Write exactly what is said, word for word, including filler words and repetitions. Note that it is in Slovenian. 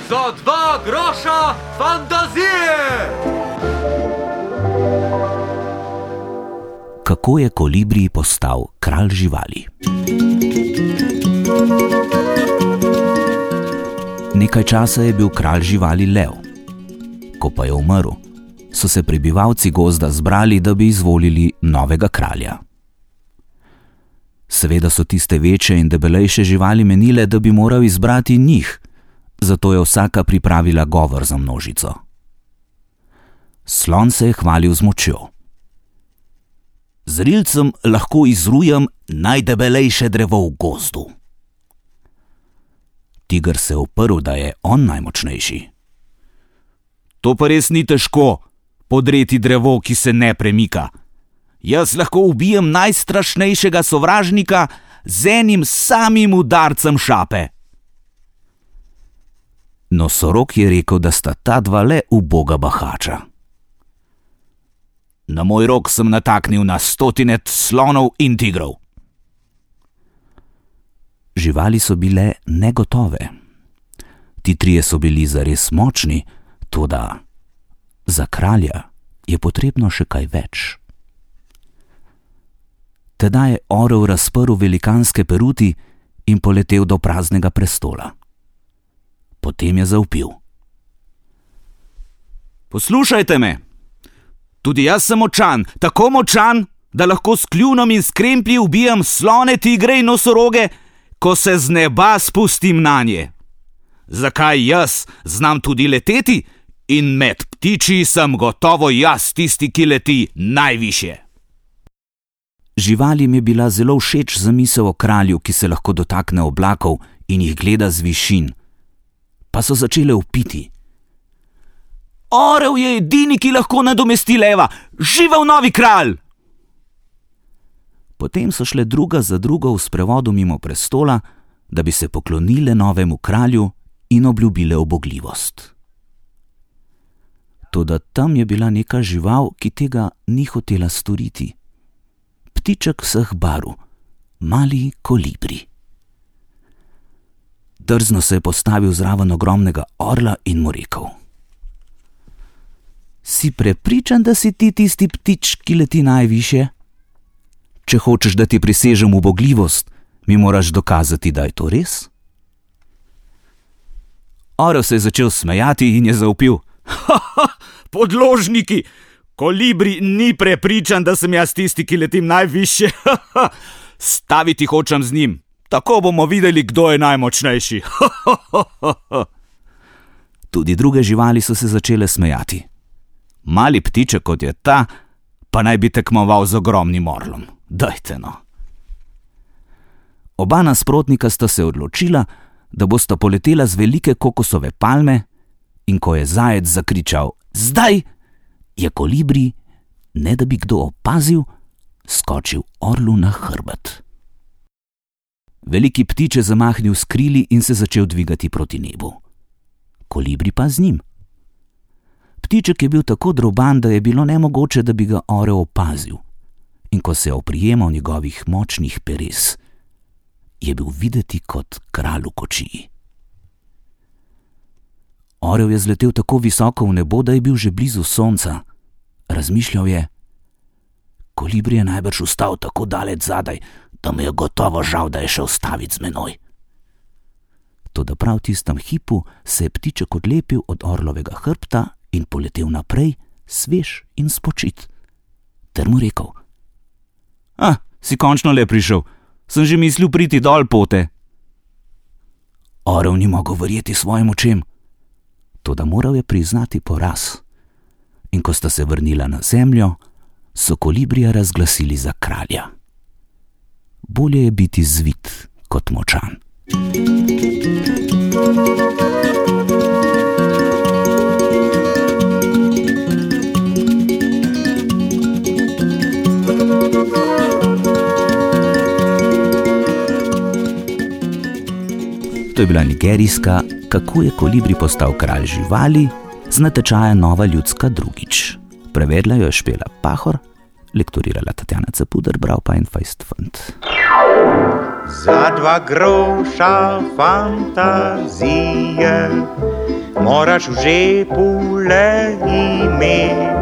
Za dva groša fantazije! Kako je Kolibri postal kralj živali? Nekaj časa je bil kralj živali lev. Ko pa je umrl, so se prebivalci gozda zbrali, da bi izvolili novega kralja. Seveda so tiste večje in debelejše živali menile, da bi moral izbrati njih, zato je vsaka pripravila govor za množico. Slon se je hvalil z močjo. Z rilcem lahko izrujem najdebelejše drevo v gozdu. Tiger se je uprl, da je on najmočnejši. To pa res ni težko, podreti drevo, ki se ne premika. Jaz lahko ubijem najstrašnejšega sovražnika z enim samim udarcem šape. Nosorog je rekel, da sta ta dva le uboga bahača. Na moj rok sem nataknil na stotine slonov in tigrov. Živali so bile negotove. Ti trije so bili zares močni, toda za kralja je potrebno še kaj več. Tedaj je orel razprl velikanske peruti in poletel do praznega prestola. Potem je zavpil. Poslušajte me! Tudi jaz sem močan, tako močan, da lahko s kljunom in s kremplji ubijam slone, tigre in nosoroge, ko se z neba spustim nanje. Zakaj jaz znam tudi leteti in med ptiči sem gotovo jaz tisti, ki leti najvišje. Živalim je bila zelo všeč zamisel o kralju, ki se lahko dotakne oblakov in jih gleda z višin, pa so začele vpiti. Orel je edini, ki lahko nadomesti leva! Živel novi kralj! Potem so šle druga za drugo v sprevodu mimo prestola, da bi se poklonile novemu kralju in obljubile ubogljivost. Toda tam je bila neka žival, ki tega ni hotela storiti. Ptiček vseh barv, mali kolibri. Drzno se je postavil zraven ogromnega orla in mu rekel. Si prepričan, da si ti tisti ptič, ki leti najvišje? Če hočeš, da ti prisežem ubogljivost, mi moraš dokazati, da je to res. Orel se je začel smejati in je zavpil. Ha, ha, podložniki! Kolibri ni prepričan, da sem jaz tisti, ki letim najvišje. Ha, ha. Staviti hočem z njim. Tako bomo videli, kdo je najmočnejši. Ha, ha, ha, ha. Tudi druge živali so se začele smejati. Mali ptiček, kot je ta, pa naj bi tekmoval z ogromnim orlom. Dajte no. Oba nasprotnika sta se odločila, da bosta poletela z velike kokosove palme, in ko je zajec zakričal zdaj, je kolibri, ne da bi kdo opazil, skočil orlu na hrbet. Veliki ptič je zamahnil s krili in se začel dvigati proti nebu. Kolibri pa z njim. Ptiček je bil tako droban, da je bilo nemogoče, da bi ga orel opazil, in ko se je oprijemal njegovih močnih peres, je bil videti kot kralj v kočiji. Orel je zletel tako visoko v nebo, da je bil že blizu sonca. Razmišljal je, kolibri je najbrž vstal tako daleč zadaj, da mu je gotovo žal, da je šel staviti z menoj. Toda prav v tistem hipu se je ptiček odlepil od orlovega hrbta in poletel naprej, svež in spočit. Ter mu rekel. Ah, si končno le prišel, sem že mislil priti dol pote. Orel ni mogel verjeti svojim očem. Toda moral je priznati poraz. In ko sta se vrnila na zemljo, so kolibrija razglasili za kralja. Bolje je biti zvit kot močan. To je bila nigerijska Kako je kolibri postal kralj živali z natečaja Nova ljudska drugič. Prevedla jo je Špela Pahor, lektorirala Tatjana Capuder, bral pa en fejst fant. Za dva groša fantazije moraš v žepu le imeti.